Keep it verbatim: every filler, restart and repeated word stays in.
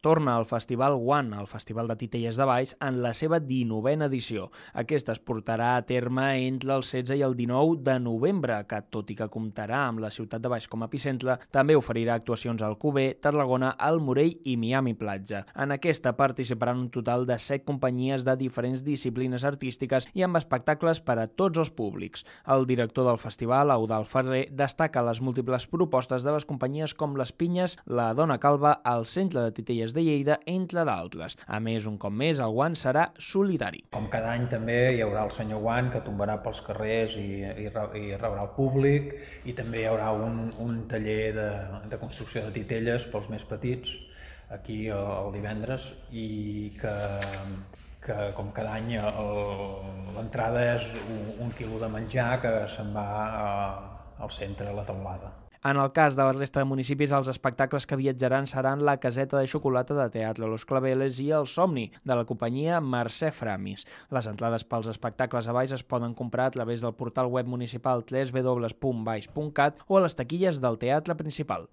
torna al Festival One, el Festival de Titelles de Valls, en la seva dinovena edició. Aquesta es portarà a terme entre el setze i el dinou de novembre, que, tot i que comptarà amb la ciutat de Valls com a epicentre, també oferirà actuacions al Alcover, Tarragona, al Morell i Miami Platja. En aquesta participaran un total de set companyies de diferents disciplines artístiques i amb espectacles per a tots els públics. El director del festival, Eudald Ferrer, destaca les múltiples propostes de les companyies com les Pinyes, la Dona Calva, el Centre de Titelles de Lleida, entre d'altres. A més, un cop més, el guant serà solidari. Com cada any també hi haurà el senyor Guant que tombarà pels carrers i, i, i rebrà el públic, i també hi haurà un, un taller de, de construcció de titelles pels més petits aquí el, el divendres, i que, que com cada any l'entrada és un, un quilo de menjar que se'n va a, al centre, a la teulada. En el cas de la resta de municipis, els espectacles que viatjaran seran la Caseta de Xocolata de Teatre Los Claveles i el Somni, de la companyia Mercè Framis. Les entrades pels espectacles a Valls es poden comprar a través del portal web municipal w w w punt valls punt cat o a les taquilles del teatre principal.